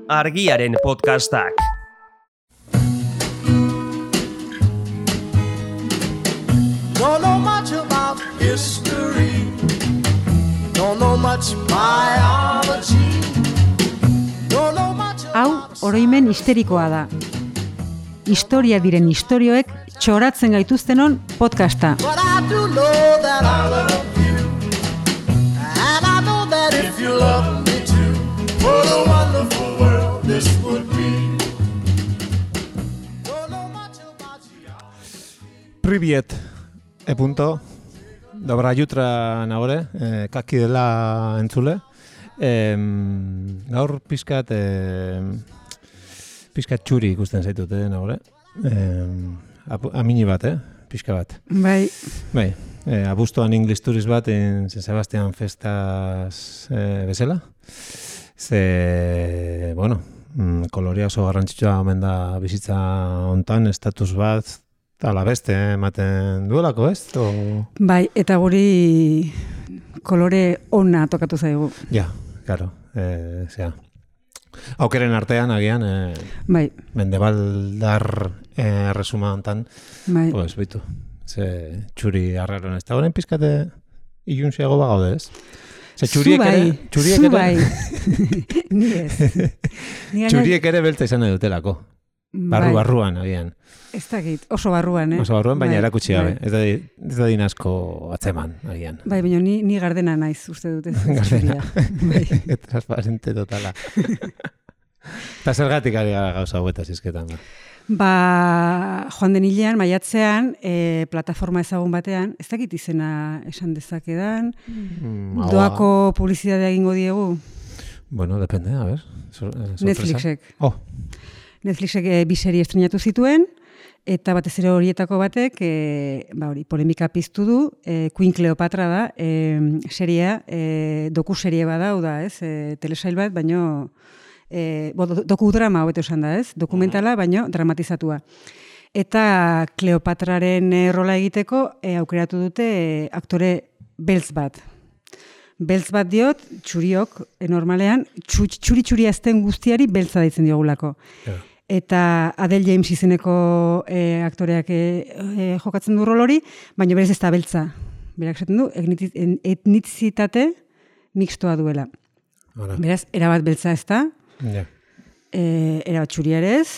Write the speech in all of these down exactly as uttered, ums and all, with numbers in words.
Argiaren podcastak. Don't know much about history. Don't know much biology. Don't know much about... Hau, oroimen histerikoa da. Historia diren istorioek txoratzen gaituztenon podcasta. But I do know that I love you. And I know that if you love me too, what a wonderful world this would be. Don't know much about you. Priviet, e punto. Dobra jutra nagore, eh, kaki dela entzule. Eh, gaur pizkat eh, pizkat txuri ikusten zaitut, eh, nagore. Eh, amini bat, eh, pizka bat. Bai. Bai, eh, abuztuan English Tourist bat en San Sebastian festas eh, bezala. Ze, bueno, mm, kolorea oso garrantzitsua omen da bizitza hontan, estatus bat, ala beste ematen duelako, ez? O... Bai, eta guri kolore ona tokatu zaigu. Ja, claro, eh, zera. Aukeren artean, agian, eh, Bai, mendebaldar eh, resuma hontan, bai. pues, bitu, ze txuri arraron ez da, horren pizkate ilunziago bagaude, ez? Ze txuriek Zu bai, ere, txuriek zu ere, bai. Ni ez. Ni gana- txuriek ere belta izan dutelako, barru Bai. barruan, agian. Ez dakit, oso barruan, eh? Oso barruan, baina Bai, erakutsi gabe. bai. Ez da, ez da din asko atzeman, agian. Bai, baina ni, ni gardena naiz, uste dut ez. Gardena. Bai. Transparente totala. Eta zergatik ari gara gauza hauetaz izketan. Ba. Ba, joan den hilean, maiatzean, e, plataforma ezagun batean, ez dakit izena esan dezakedan, Mm, hau, doako publizitatea egingo diegu, Bueno, depende, a ver. Sor, eh, sorpresa. Netflixek. Oh, Netflixek e, bi serie estrenatu zituen, eta batez ere horietako batek, e, ba hori, polemika piztu du, e, Queen Cleopatra da, e, seria, e, doku serie bada, hau da, ez, e, telesail bat, baino, e, bo, do- dokudrama hobeto esan da, ez, dokumentala, baino dramatizatua. Eta Kleopatraren e, rola egiteko e, aukeratu dute e, aktore beltz bat. Beltz bat diot, txuriok, e, normalean, txuri-txuri azten guztiari beltza deitzen diogulako. ja. Eta Adele James izeneko e, aktoreak e, e, jokatzen du rol hori, baina berez ez da beltza. Berak esaten du, etniti- en- etnizitate mixtoa duela. Hala, Beraz, erabat beltza ez da, ja. e, erabat txuria ere ez.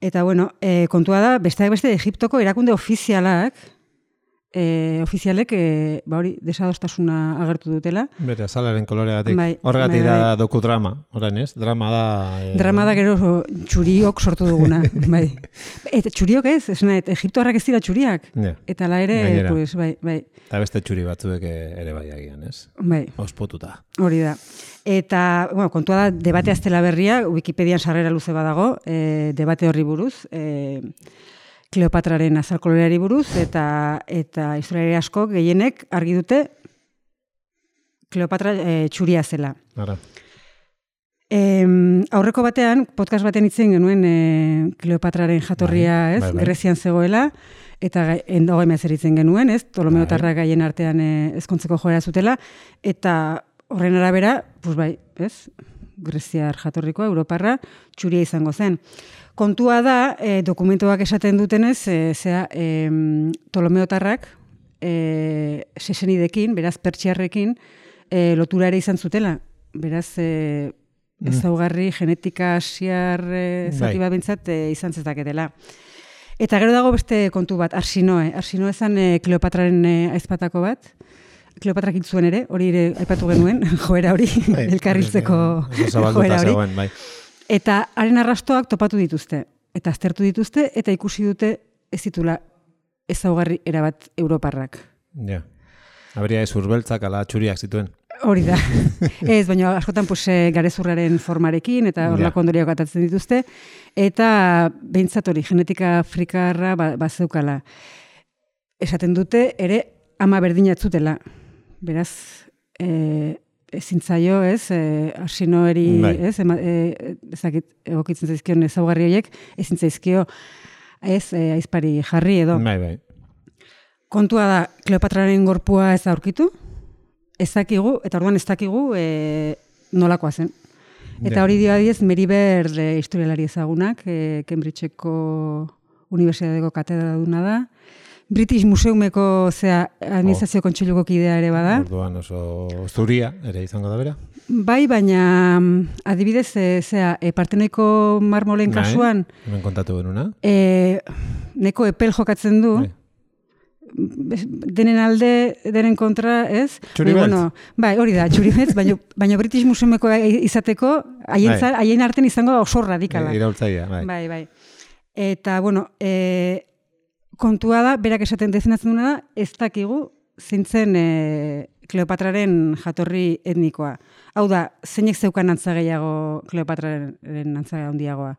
Eta bueno, e, kontua da, besteak beste Egiptoko erakunde ofizialak, e, ofizialek, e, ba hori, desadostasuna agertu dutela. Bere, azalaren koloregatik. Bai, Horregatik bai, da bai. dokudrama, orain ez? Drama da... Eh, Drama da gero txuriok sortu duguna, bai. Eta txuriok ez, esan nahi, Egiptoarrak ez dira txuriak. Ja. Eta la ere, Gainera. pues, bai, bai, Eta beste txuri batzuek eh, ere bai agian, ez? bai, Ospotuta. hori da. Eta, bueno, kontua da, debate aztela berria, Wikipedian sarrera luze badago, e, debate horri buruz, e, Kleopatraren azalkoloreari buruz, eta eta historiari asko gehienek argi dute Kleopatra e, txuria zela. Ara. Em, aurreko batean, podcast batean itzen genuen e, Kleopatraren jatorria, Bai, ez, bai, bai. Grezian zegoela, eta hogei mezzer itzen genuen, ez, Ptolomeotarrak gaien artean e, ezkontzeko joera zutela, eta horren arabera, pues bai, ez, Greziar jatorrikoa, Europarra, txuria izango zen. Kontua da, e, dokumentuak esaten dutenez, e, zera, e, Ptolomeotarrak e, sesenidekin, beraz pertsiarrekin, e, lotura ere izan zutela. Beraz, e, ezaugarri genetika asiar e, zati Bai. bat bintzat e, izan zezaketela. Eta gero dago beste kontu bat, Arsinoe. Arsinoe zan e, Kleopatraren e, aizpatako bat. Kleopatrak hil zuen ere, hori ere aipatu genuen, joera hori, Bai, elkarriltzeko oso zabalduta joera hori. zegoen, bai. Eta haren arrastoak topatu dituzte, eta aztertu dituzte, eta ikusi dute ez ditula ezaugarri erabat europarrak. Ja. Habría ez urbeltzak ala txuriak zituen. Hori da. Ez, baina askotan pues, eh, garezurraren formarekin, eta horlako Ja. ondoriak atatzen dituzte, eta behintzat hori, genetika afrikarra ba, bazeukala. Esaten dute, ere, ama berdina ez zutela. Beraz, eh, ezin zaio, ez, e, arsinoeri, Bai. ez, ema, e, ezakit, egokitzen zaizkion ezaugarri horiek, ezin zaizkio, ez, e, aizpari jarri edo. Bai, bai. Kontua da, Kleopatraren gorpua ez da aurkitu, ez dakigu, eta orduan ez dakigu e, nolakoa zen. Eta hori dio adiez, Mary Bird e, historialari ezagunak, e, Cambridgeko Unibertsitateko katedraduna da. British Museumeko zea administrazio oh. kontseiluko kidea ere bada. Orduan oso zuria ere izango da bera. Bai, baina adibidez, e, zea, e, Partenoiko marmolen kasuan... Hemen kontatu benuna. E, neko epel jokatzen du. Bai. Denen alde, denen kontra, ez? Txuri beltz. Bueno, bai, hori da, txuri beltz, baina, baina British Museumeko izateko, haien, bai. haien artean izango da oso radikala. E, Iraultzaia, bai. Bai, bai. Eta, bueno, e, kontua da, berak esaten defendatzen duna da, ez dakigu zintzen e, Kleopatraren jatorri etnikoa. Hau da, zeinek zeukan antza gehiago Kleopatraren antza handiagoa.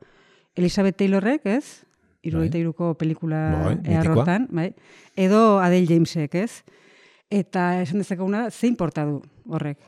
Elizabeth Taylorrek, ez? Hirurogeita hiruko pelikula eharrotan, bai. Edo Adele Jamesek, ez? Eta esan dezakeguna da, ze inporta du horrek.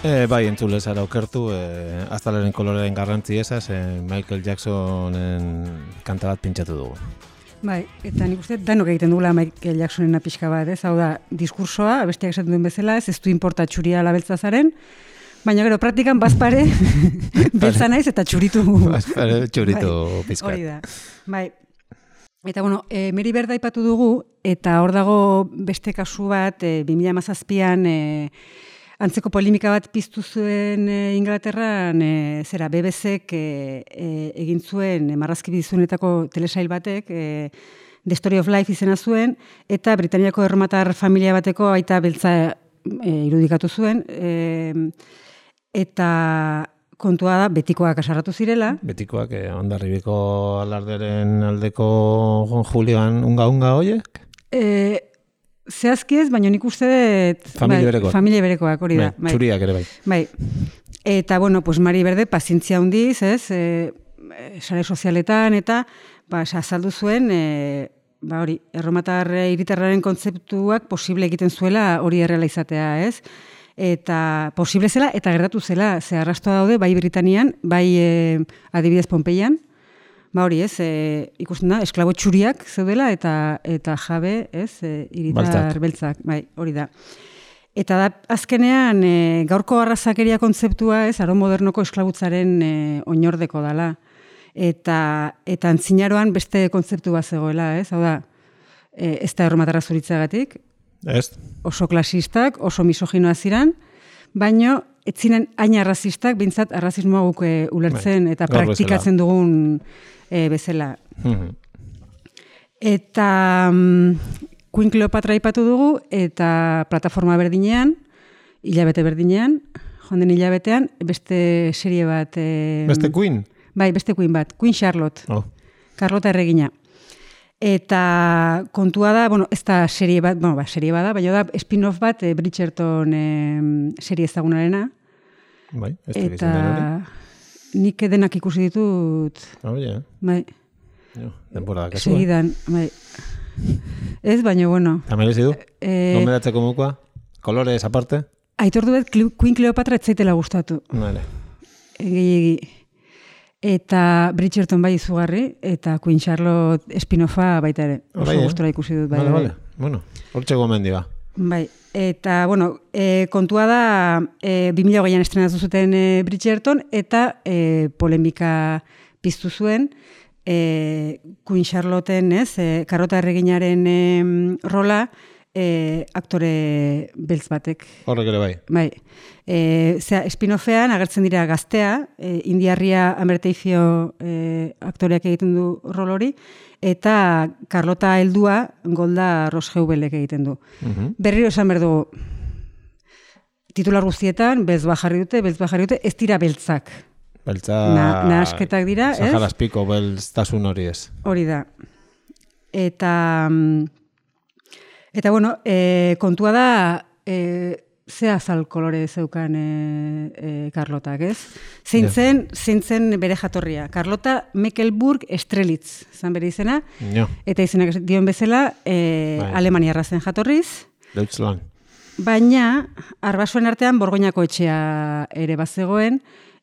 E, bai, entzule zara okertu, e, aztalaren koloreen garrantzi esaz, e, Michael Jacksonen kanta bat pintxatu dugu. Bai, eta nik uste danok egiten dugula Michael Jacksonen pixka bat, ez? Hau da, diskursoa, abestiak esaten duen bezala, ez, ez du importa txuria labeltza zaren, baina gero praktikan bazpare beltza naiz eta txuritu. Bazpare txuritu bai, pizkat. Hori da, bai. Eta, bueno, e, Mary Bird aipatu dugu, eta hor dago beste kasu bat, e, bi mila hamazazpian, e, antzeko polemika bat piztu zuen e, Inglaterran, e, zera, B B Cek e, e, egin zuen e, marrazki bizunetako telesail batek, e, The Story of Life izena zuen, eta Britaniako erromatar familia bateko aita beltza e, irudikatu zuen, e, eta kontua da, betikoak asarratu zirela. Betikoak, eh, Hondarribiko alarderen aldeko Julian unga-unga hoiek? E, Zehazki ez, baina nik uste dut... Familia bai, berekoak. Familia berekoak, hori da. Bai, txuriak ere bai. Bai. Eta, bueno, pues Mari Berde, pazientzia hundiz, ez, e, sare sozialetan, eta, ba, azaldu zuen, e, ba, hori, erromatar hiritarraren kontzeptuak posible egiten zuela hori erreala izatea, ez? Eta posible zela, eta gertatu zela, ze arrastoa daude, bai Britanian, bai e, adibidez Pompeian, ba hori, ez, e, ikusten da, esklabo txuriak zeudela eta eta jabe, ez, e, hiritar beltzak, bai, hori da. Eta da, azkenean, e, gaurko arrazakeria kontzeptua, ez, aro modernoko esklabutzaren e, oinordeko dala. Eta, eta antzinaroan beste kontzeptu bat zegoela, ez, hau da, e, ez da erromatarra zuritzagatik, ez. Oso klasistak, oso misoginoa ziran, baino, ez ziren hain arrazistak, bintzat arrazismoa guk e, ulertzen, bai, eta praktikatzen dugun e, bezala. Mm-hmm. Eta um, Queen Cleopatra aipatu dugu, eta plataforma berdinean, hilabete berdinean, joan den hilabetean, beste serie bat... E, beste Queen? Bai, beste Queen bat, Queen Charlotte. Oh. Carlota erregina. Eta kontua da, bueno, ez da serie bat, bueno, ba, serie bada, baina da spin-off bat e, Bridgerton e, serie ezagunarena. Bai, ez da eta nik denak ikusi ditut. Oh, yeah. Bai. Jo, denbora da kasua. Segidan, bai. Ez, baina, bueno. Eta merezi du? E, Gomendatzeko mukoa? Kolorez aparte? Aitortu bet, Queen Cleopatra ez zaitela gustatu. Vale. Egi, egi. Eta Bridgerton bai izugarri, eta Queen Charlotte spin-offa baita ere. Oso bai, gustora ikusi dut. Bai, vale, bai. vale. Bueno, hortxe gomendi ba. Bai, eta, bueno, e, kontua da, e, bi mila hogeian estrenatu zuten e, Bridgerton, eta e, polemika piztu zuen, e, Queen Charlotten, ez, e, Carlota erreginaren e, rola, e, aktore beltz batek. Horrek ere bai. Bai. E, zera, spin-offean agertzen dira gaztea, e, indiarria Amerteifio e, aktoreak egiten du rol hori, eta Carlota heldua Golda Rosheubelek egiten du. Uh-huh. Berriro esan behar dugu, titular guztietan, beltz bajarri dute, beltz bajarri dute, ez dira beltzak. Beltza... Na, nahasketak dira, ez? Saharazpiko beltztasun hori ez. Hori da. Eta... Eta, bueno, e, kontua da... E, ze azal kolore zeukan e, e, Karlotak, ez? Zein zen, zein zen bere jatorria. Karlota Mecklenburg Strelitz, zan bere izena. Ja. Eta izenak dion bezala, e, bai. Alemaniarra zen jatorriz. Deutschland. Baina, arbasoen artean Borgoñako etxea ere bazegoen,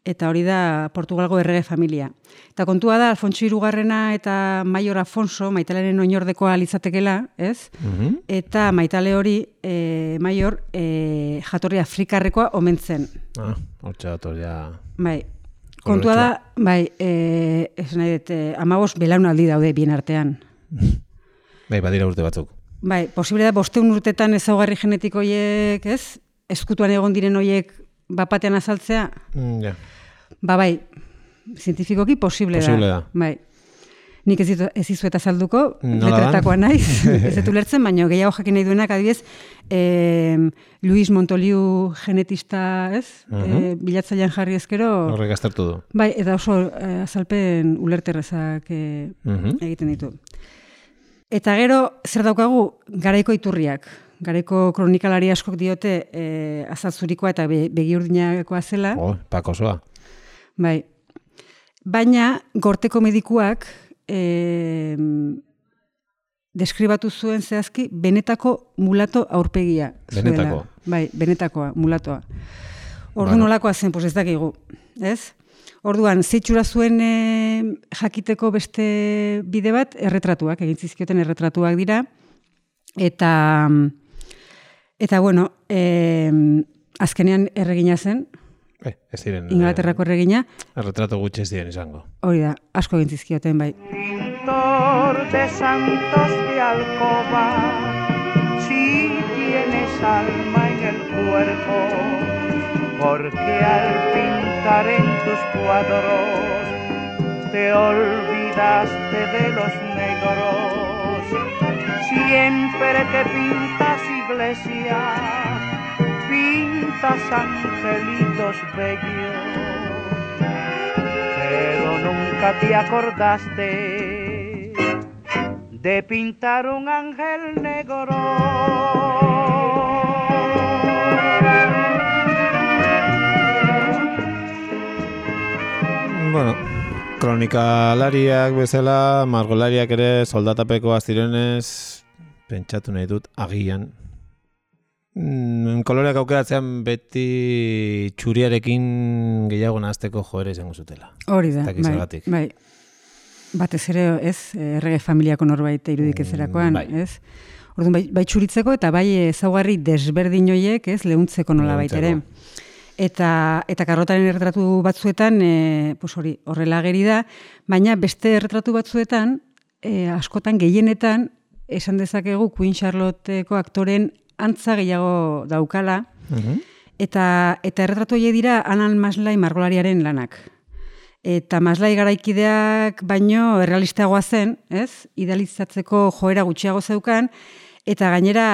eta hori da Portugalgo errege familia. Eta kontua da, Alfonso hirugarrena eta Maior Afonso, Maitaleren oinordekoa litzatekela, ez? Mhm. Eta Maitale hori, e, Maior, e, jatorri afrikarrekoa omen zen. Ah, hortxe jatorria... Bai, kontua da, bai, e, ez nahi dut, e, amabos belaunaldi daude bien artean. Bai, badira urte batzuk. Bai, posible da, bosteun urtetan ezaugarri genetiko horiek, ez? Ezkutuan egon diren horiek bapatean azaltzea? Mm, ja. Ba, bai, zientifikoki posible, posible da. da. Bai. Nik ez, ditu, ez izuet azalduko, Nola letretakoa naiz, ez dut ulertzen, baina gehiago jakin nahi duenak, adibidez, eh, Luis Montoliu genetista, ez? Uh -huh. eh, bilatzailean jarri ezkero... Horrek aztertu du. Bai, eta oso eh, azalpen ulerterrezak eh, uh -huh. egiten ditu. Eta gero, zer daukagu, garaiko iturriak. Garaiko kronikalari askok diote e, azatzurikoa eta be, begiurdinakoa zela. Oh, pakosoa. Bai. Baina, gorteko medikuak e, deskribatu zuen zehazki benetako mulato aurpegia. Benetako? Zuela. Bai, benetakoa, mulatoa. Ordu bueno. Nolakoa zen, pues ez dakigu, ez? Orduan, zeitxura zuen e, jakiteko beste bide bat, erretratuak, egin zizkioten erretratuak dira, eta... Eta, bueno, eh, azkenean erregina zen, eh, ez diren, Inglaterrako erregina. Erretrato gutxi ez diren izango. Hori da, asko gintzizkioten, bai. Pintor de santos de alcoba, si tienes alma en el cuerpo, porque al pintar en tus cuadros te olvidaste de los negros. Siempre que pintas iglesias, pintas angelitos bellos, pero nunca te acordaste de pintar un ángel negro. Bueno, kronikalariak bezala, margolariak ere soldatapekoa zirenez, pentsatu nahi dut, agian. Mm, koloreak aukeratzean beti txuriarekin gehiago nahazteko joera izango zutela. Hori da, bai, bai. Batez ere, ez, errege familiako norbait irudik ezerakoan, bai. ez? Orduan, bai, bai txuritzeko eta bai ezaugarri desberdin horiek, ez, leuntzeko nola baitere. Eta, eta Karlotaren erretratu batzuetan, e, pues hori, horrela ageri da, baina beste erretratu batzuetan, e, askotan gehienetan, esan dezakegu Queen Charlotteko aktoren antza gehiago daukala, uh-huh. eta, eta erretratu horiek dira Alan Maslay margolariaren lanak. Eta Maslay garaikideak baino errealistagoa zen, ez? Idealizatzeko joera gutxiago zeukan, eta gainera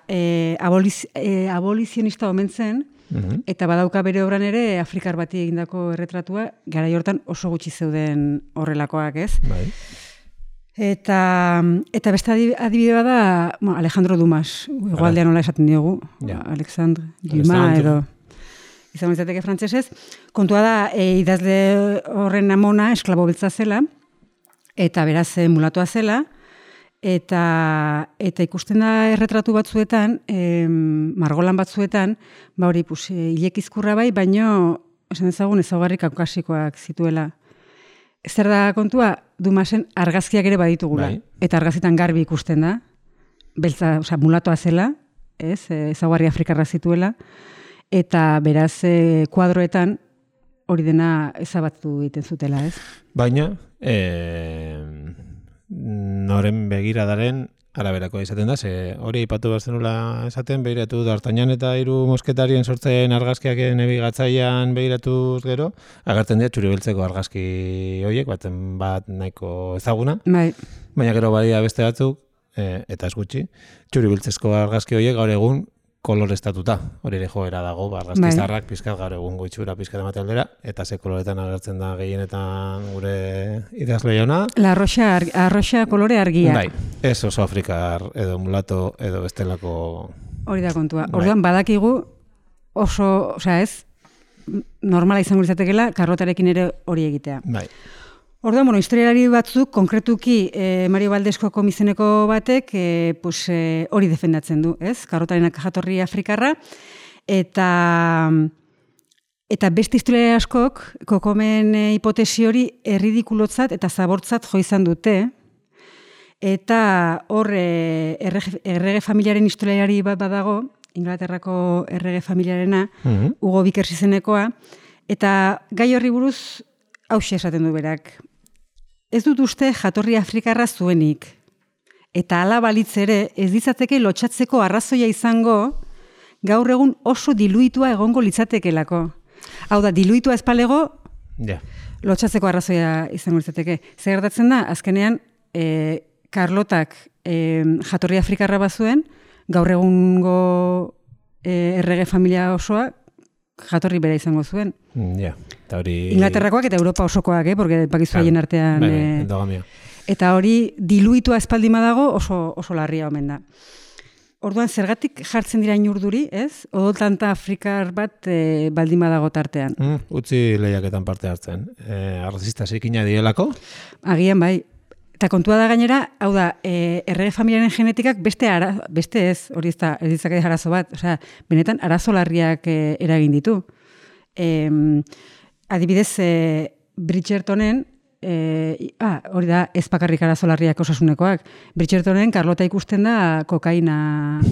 e, aboliz, e, abolizionista omen zen, uh-huh. eta badauka bere obran ere Afrikar bati egindako erretratua, garai hortan oso gutxi zeuden horrelakoak, ez? Bai. Eta, eta beste adibide bada, bueno, Alejandro Dumas, igualdean nola esaten diogu, ja. Alexandre Dumas edo izan izateke frantsesez. Kontua da, e, idazle horren amona esklabo beltza zela, eta beraz e, mulatoa zela, eta, eta ikusten da erretratu batzuetan, e, margolan batzuetan, ba hori, pues, e, ilekizkurra bai, baino, esan ezagun ezaugarri kaukasikoak zituela. Zer da kontua, Dumasen argazkiak ere baditugula. Bai. Eta argazkitan garbi ikusten da, beltza, osea, mulatoa zela, ez, ezaugarri afrikarra zituela, eta beraz e, kuadroetan hori dena ezabatu egiten zutela, ez? Baina, e, noren begiradaren araberakoa izaten da, ze hori aipatu behar zenula esaten, behiratu D'Artagnan eta hiru mosketarien sortzen argazkiak nabigatzailean behiratuz gero, agertzen dira txuri beltzeko argazki horiek, batzen bat nahiko ezaguna, bai. Baina gero badia beste batzuk, e, eta ez gutxi, txuri beltzezko argazki horiek gaur egun koloreztatuta, hori ere joera dago, argazkizarrak pizkat gaur egun goitxura pizkat emate aldera, eta ze koloretan agertzen da gehienetan gure idazle jauna. La arroxa, arroxa kolore argia. Bai, ez oso afrikar edo mulato edo bestelako... Hori da kontua. Orduan badakigu oso, osea ez, normala izango litzatekeela karlotarekin ere hori egitea. Bai. Orduan, bueno, historialari batzuk, konkretuki eh, Mario Valdesko komisioneko batek eh, pues, eh, hori defendatzen du, ez? Karrotarenak jatorri afrikarra, eta, eta beste historialari askok, kokomen eh, hipotesi hori erridikulotzat eta zabortzat jo izan dute, eta hor eh, errege, errege familiaren historialari bat badago, Inglaterrako errege familiarena, mm-hmm. Hugo Vickers izenekoa, eta gai horri buruz hauxe esaten du berak. Ez dut uste jatorri afrikarra zuenik. Eta hala balitz ere, ez ditzateke lotxatzeko arrazoia izango, gaur egun oso diluitua egongo litzatekelako. Hau da, diluitua espalego, yeah. Lotxatzeko arrazoia izango litzateke. Zer gertatzen da, azkenean, e, Karlotak e, jatorri afrikarra bazuen, gaur egungo e, errege familia osoa, jatorri bera izango zuen. Ja, eta hori... Inglaterrakoak eta Europa osokoak, eh? Porque bakizu haien artean... Bai, endogamia. Eta hori diluitua espaldima dago oso, oso larria omen da. Orduan, zergatik jartzen dira inurduri, ez? Odoltanta afrikar bat e, baldima dago tartean. Mm, utzi lehiaketan parte hartzen. E, arrazista zikina dielako? Agian bai. Eta kontua da gainera, hau da, e, errege familiaren genetikak beste, ara, beste ez, hori ez da, ez ditzake arazo bat, osea, benetan arazo larriak e, eragin ditu. E, adibidez, e, Bridgertonen, e, ah, hori da, ez bakarrik arazo larriak osasunekoak, Bridgertonen Karlota ikusten da kokaina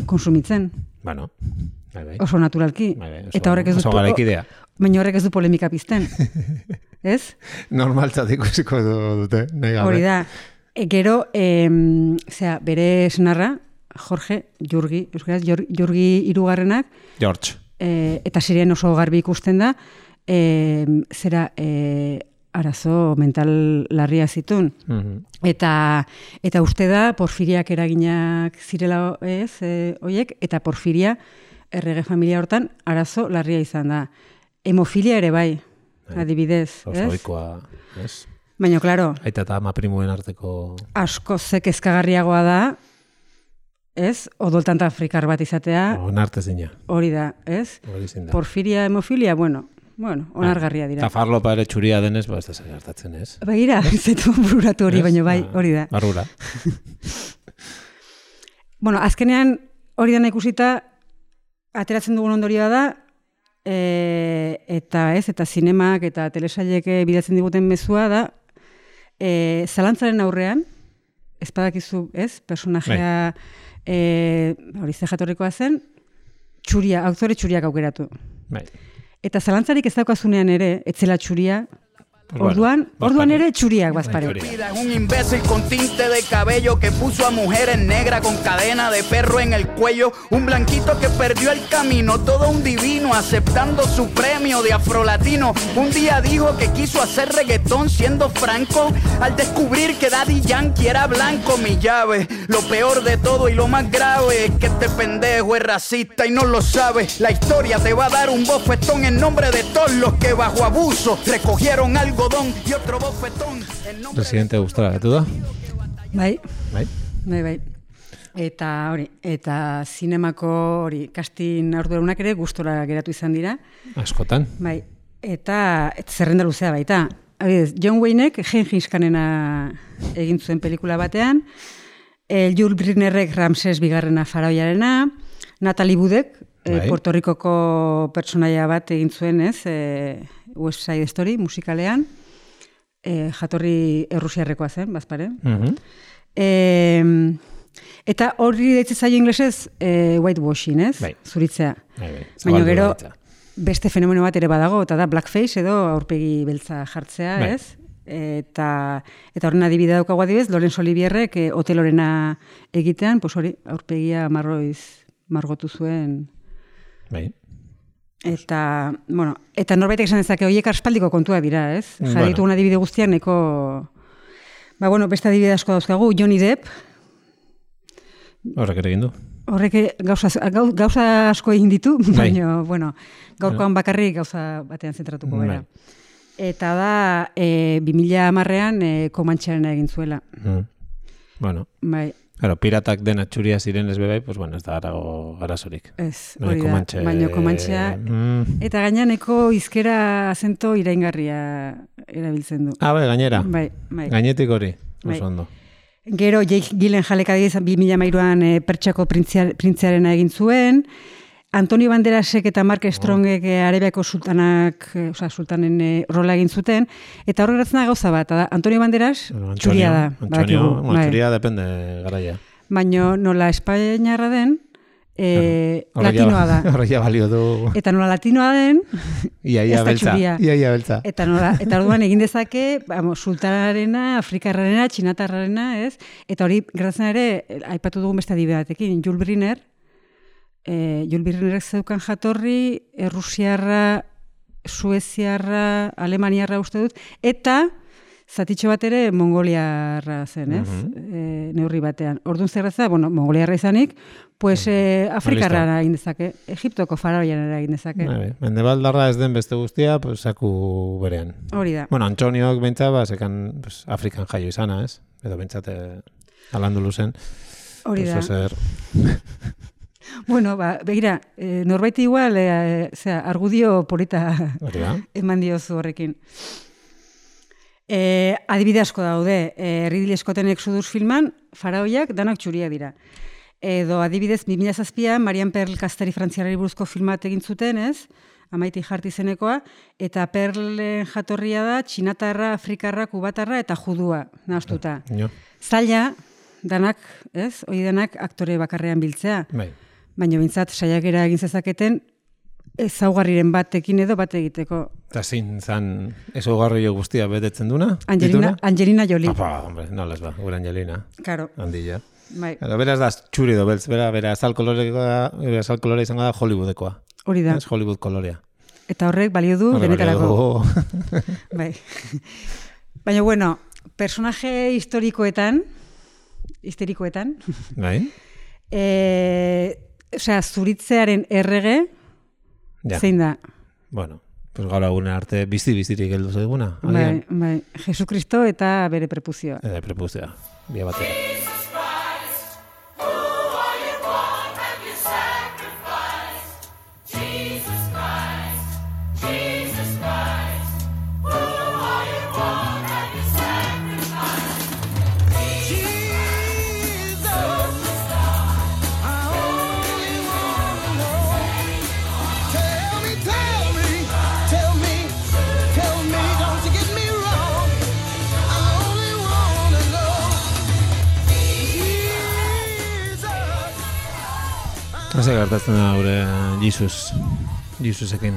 konsumitzen. Bueno, bai, bai. Oso naturalki. Bai, bai, oso, eta horrek ez du, garaikidea. Baina horrek ez du polemika pizten. Ez? Normaltzat ikusiko dute. Hori da. E, gero, e, zera, bere senarra, Jorge, Jurgi, euskaraz, Jurgi hirugarrenak, George. E, eta sirien oso garbi ikusten da, e, zera, e, arazo mental larria zitun. Mm-hmm. Eta, eta uste da, Porfiriak eraginak zirela ez, e, oiek, eta Porfiria, errege familia hortan, arazo larria izan da. Hemofilia ere bai, adibidez. Oso oikoa, ez? Baina, klaro, aita eta ama primuen arteko... asko ze kezkagarriagoa da, ez? Odoltanta afrikar bat izatea. Onartez dina. Hori da, ez? Hori da. Porfiria, hemofilia, bueno, bueno, onargarria dira. Eta farlopa ere txuria denez, ba, ez da zer hartatzen, ez? Begira, ez zetu bururatu hori, baina bai, hori da. Barrura. Bueno, azkenean, hori dena ikusita, ateratzen dugun ondorioa da, e, eta ez, eta zinemak eta telesailek bidatzen diguten mezua da, E, zalantzaren aurrean, ez badakizu, ez, personajea e, hori ze jatorrikoa zen, txuria, aktore txuriak aukeratu. Bai. Eta zalantzarik ez daukazunean ere, etzela txuria, orduan, orduan ere txuriak bazpare. Un imbécil con tinte de cabello que puso a mujeres negras con cadena de perro en el cuello, un blanquito que perdió el camino, todo un divino aceptando su premio de afrolatino. Un día dijo que quiso hacer reggaetón siendo franco, al descubrir que Daddy Yankee era blanco. Mi llave, lo peor de todo y lo más grave es que este pendejo es racista y no lo sabe. La historia te va a dar un bofetón en nombre de todos los que bajo abuso recogieron algo y otro bofetón. Residente gustora gatu da? Bai. Bai. Bai, bai. Eta hori, eta zinemako hori, casting ardurunak ere gustora geratu izan dira. Askotan. Bai. Eta zerrenda luzea baita. Adibidez, John Waynek Gengis Khanena egin zuen pelikula batean, eh, Jules Brynnerrek Ramses bigarrena faraoiarena, Natalie Woodek, eh, Puerto Ricoko pertsonaia bat egin zuen, ez, eh, West Side Story musikalean, eh, jatorri errusiarrekoa zen, bazpare. Mm-hmm. E, eta horri deitzen zaio inglesez eh, whitewashing, ez? Bai. Zuritzea. Bai, bai. Baina gero beste fenomeno bat ere badago, eta da blackface edo aurpegi beltza jartzea, bai. Ez? Eta, eta horren adibide daukagu adibidez, Laurence Olivierrek eh, hotelorena egitean, pues hori, aurpegia marroiz margotu zuen. Bai. Eta, bueno, eta norbaitek esan dezake, horiek aspaldiko kontua dira, ez? Jarritu bueno. Adibide guztiak neko... Ba, bueno, beste adibide asko dauzkagu, Johnny Depp. Horrek ere egin du. Horrek gauza, gauza asko egin ditu, baina, bueno, gaurkoan bakarrik gauza batean zentratuko gara. Eta da, e, bi mila hamarrean e, Komantxearena egin zuela. Mm. Bueno. Bai. Claro, piratak dena txuria ziren ez bebai, pues bueno, ez da arago arazorik. Ez, hori da, baina Komantxea. Mm. Eta gaineaneko izkera azento iraingarria erabiltzen du. Ah, bai, gainera. Bai, bai. Gainetik hori, oso bai. ondo. Gero, Jake Gyllenhaal adiez, bi mila hamairuan e, Pertsiako printziarena egin zuen, Antonio Banderasek eta Mark Strongek oh. Arabiako sultanak, e, oza, sultanen e, rola egin zuten, eta horrek geratzen da gauza bat, da, Antonio Banderas bueno, Antonio, txuria da. Antonio, bueno, txuria depende garaia. Baina nola Espainiarra den, e, claro. latinoa da. Horreia balio du. Eta nola latinoa den, ia, ia beltza. Ia, ia beltza. Eta nola, eta orduan egin dezake, vamos, sultanarena, afrikarrarena, txinatarrarena, ez? Eta hori geratzen ere, aipatu dugun beste adibidatekin, Jules Briner, E, Jules Briner zeukan jatorri, Errusiarra, Sueziarra, Alemaniarra uste dut, eta zatitxo bat ere Mongoliarra zen, ez? Uh-huh. e, neurri batean. Orduan zerratza, bueno, Mongoliarra izanik, pues e, Afrikarra egin dezake, Egiptoko faraoian egin dezake. Mendebaldarra ez den beste guztia, pues, saku berean. Hori da. Bueno, Antoniok behintzat, ba, sekan pues, Afrikan jaio izana, ez? Edo behintzate alandu luzen. Hori da. Pues, zer... Bueno, ba, begira, e, norbait igual, e, zera, argudio polita eman diozu horrekin. E, adibide asko daude, e, Ridley Scotten Exodus filman, faraoiak danak txuria dira. Edo adibidez, bi mila zazpian, Marian Pearl Kasteri frantziarari buruzko filmat egin zuten, ez? Amaiti jarti izenekoa, eta Perlen jatorria da, txinatarra, afrikarra, kubatarra eta judua, nahaztuta. No. Zaila, danak, ez? Hoi denak aktore bakarrean biltzea. Bai. Baina bintzat saiakera egin zezaketen ezaugarriren batekin edo bat egiteko. Eta zin zan ezaugarri guztia betetzen duna? Angelina, Angelina Jolie. Apa, hombre, no les ba, gure Angelina. Claro. Handilla. Bai. Claro, beraz da txuri do beltz, bera, bera azal kolorea, bera azal kolorea izango da Hollywoodekoa. Hori da. Ez Hollywood kolorea. Eta horrek balio du denetarako. Bai. Baina bueno, personaje historikoetan, histerikoetan, bai. Eh, Osea, zuritzearen errege, ja. Zein da? Bueno, pues gaur agune arte bizi-bizirik heldu zaiguna. Bai, bai. Jesukristo eta bere prepuzioa. Bere prepuzioa, bia batera. Hase gertatzen da gure Jesus, Jesusekin.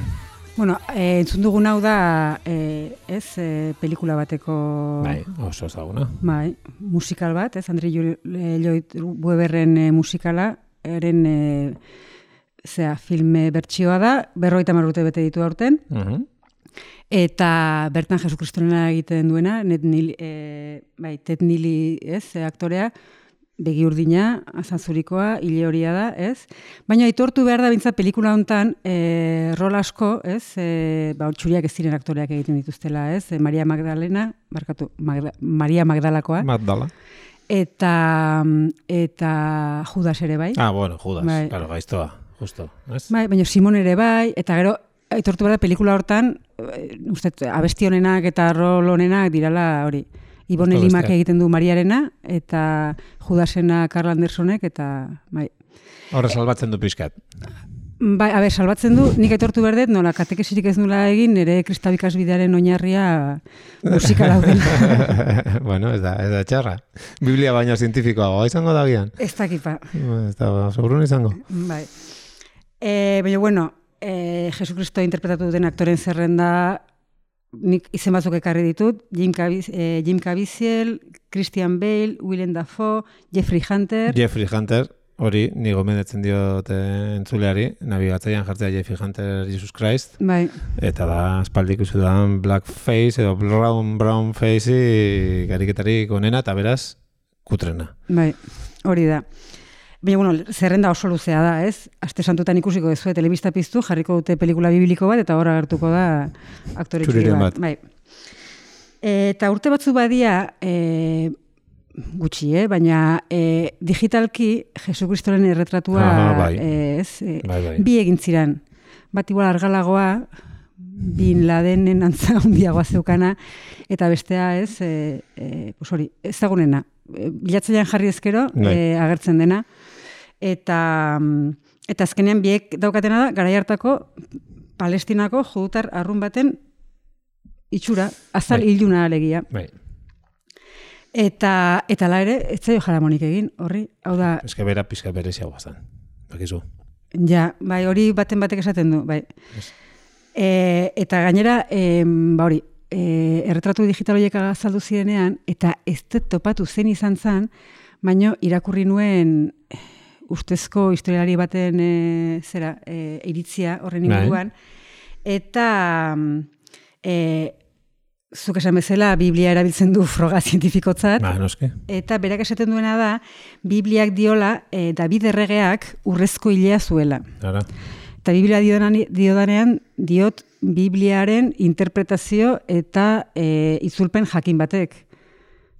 Bueno, eh, entzun dugun hau da, eh, ez, eh, pelikula bateko... Bai, oso ezaguna. Bai, musikal bat, ez, Andre Lloyd Webberren eh, musikala, eren, eh, zera, filme bertsioa da, berrogeita hamar urte bete ditu aurten, uh-huh. Eta bertan Jesukristorena egiten duena, Ned Neely, eh, bai, Ted Neely, ez, aktorea, begi urdina, azanzurikoa, hile horia da, ez? Baina aitortu behar da bintzat pelikula hontan e, rol asko, ez? E, ba, txuriak ez ziren aktoreak egiten dituztela, ez? E, Maria Magdalena, barkatu, Magda, Maria Magdalakoa. Magdala. Eta, eta Judas ere bai. Ah, bueno, Judas, bai. Claro, gaiztoa, justo, ez? Bai, baina Simon ere bai, eta gero, aitortu behar da pelikula hortan, uste, abesti honenak eta rol honenak dirala hori. Ibon Elimak egiten du Mariarena, eta Judasena Carl Andersonek, eta bai. Horre salbatzen du pixkat. Bai, a ber, salbatzen du, nik aitortu berdet, nola, katekesirik ez nula egin, nire kristabikasbidearen oinarria musika dauden. Bueno, ez da, ez da txarra. Biblia baino zientifikoa, izango da gian. Ez dakipa. Ez da, sobrun izango. Bai. E, baina, bueno, e, Jesukristo interpretatu duten aktoren zerrenda, nik izen batzuk ekarri ditut, Jim, Caviz, eh, Jim Caviezel, Christian Bale, Willem Dafoe, Jeffrey Hunter. Jeffrey Hunter, hori, ni gomendatzen diot entzuleari, nabigatzaian jartzea Jeffrey Hunter Jesus Christ. Bai. Eta da, espaldik usu da blackface edo brown, brown face gariketarik onena, eta beraz, kutrena. Bai, hori da. Baina, bueno, zerrenda oso luzea da, ez? Aste santutan ikusiko dezue telebista piztu, jarriko dute pelikula bibliko bat, eta hor agertuko da aktore txuri bat. Bai. Eta urte batzu badia, e, gutxi, eh? Baina e, digitalki Jesukristoren erretratua ah, bai. e, ez, e, bai, bai. bi egin ziran. Bat igual argalagoa, Bin Ladenen antza handiagoa zeukana, eta bestea ez, e, e, pues hori, ez dagunena. Bilatzailean jarri ezkero, e, agertzen dena. Eta, eta azkenean biek daukatena da, garai hartako Palestinako judutar arrun baten itxura, azal bai. Iluna alegia. Bai. Eta, eta la ere, ez zaio jaramonik egin, horri, hau da... Ez que bera pizka berezia guaztan, bakizu. Ja, bai, hori baten batek esaten du, bai. Ez. E, eta gainera, e, ba hori, e, erretratu digital horiek azaldu zirenean, eta ez dut topatu zen izan zen, baino irakurri nuen ustezko historialari baten e, zera, e, iritzia horren inguruan, eta e, zuk esan bezala Biblia erabiltzen du froga zientifikotzat, ba, noske. Eta berak esaten duena da, Bibliak diola e, David erregeak urrezko hilea zuela. Ara. Eta Biblia diodanean diot Bibliaren interpretazio eta e, itzulpen jakin batek.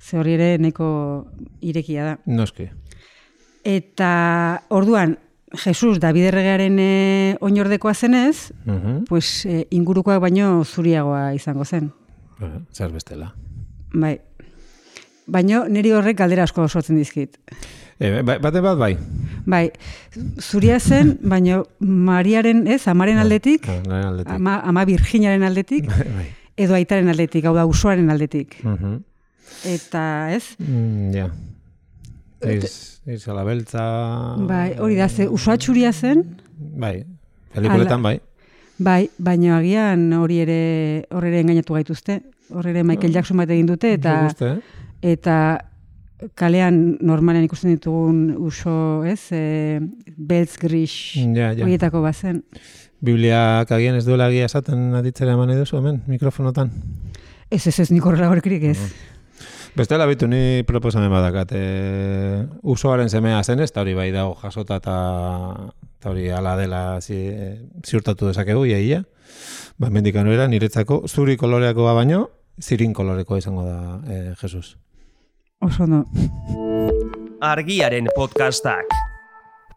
Ze hori ere neko irekia da. Noski. Eta orduan, Jesus David erregearen e, oinordekoa zenez, uh-huh. pues, e, ingurukoak baino zuriagoa izango zen. Uh, zer bestela. Bai. Baino niri horrek galdera asko sortzen dizkit. E, bate bat bai? Bai, zuria zen, baina Mariaren, ez, amaren aldetik, ah, aldetik. Ama, ama Virginaren aldetik, bai. Edo aitaren aldetik, hau da, usoaren aldetik. Uh-huh. Eta, ez? Mm, ja. Eiz, eiz alabeltza... Bai, hori da, ze usoa txuria zen? Bai, pelikuletan bai. Bai, baina agian hori ere, hori ere engainatu gaituzte, hori ere Michael Jackson bat egin dute, eta... Guste, eh? Eta... kalean normalen ikusten ditugun uso, ez, e, beltz gris ja, ja. horietako bazen. Bibliak agian ez duela egia esaten aditzera eman edo hemen, mikrofonotan? Ez, ez, ez, nik horrela horkirik ez. Uh-huh. Bestela bitu, ni proposamen badakat. E, usoaren semea zen ez, eta hori bai dago jasota eta hori ala dela zi, e, ziurtatu dezakegu, iaia. Ba, mendikan era, niretzako zuri koloreakoa baino, zirin kolorekoa izango da e, Jesus. Oso no. Argiaren podcastak.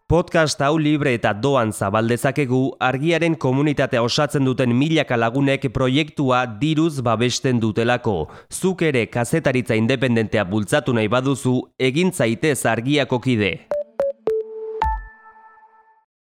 Podcast hau libre eta doan zabaldezakegu Argiaren komunitatea osatzen duten milaka lagunek proiektua diruz babesten dutelako. Zuk ere kazetaritza independentea bultzatu nahi baduzu, egin zaitez Argiako kide.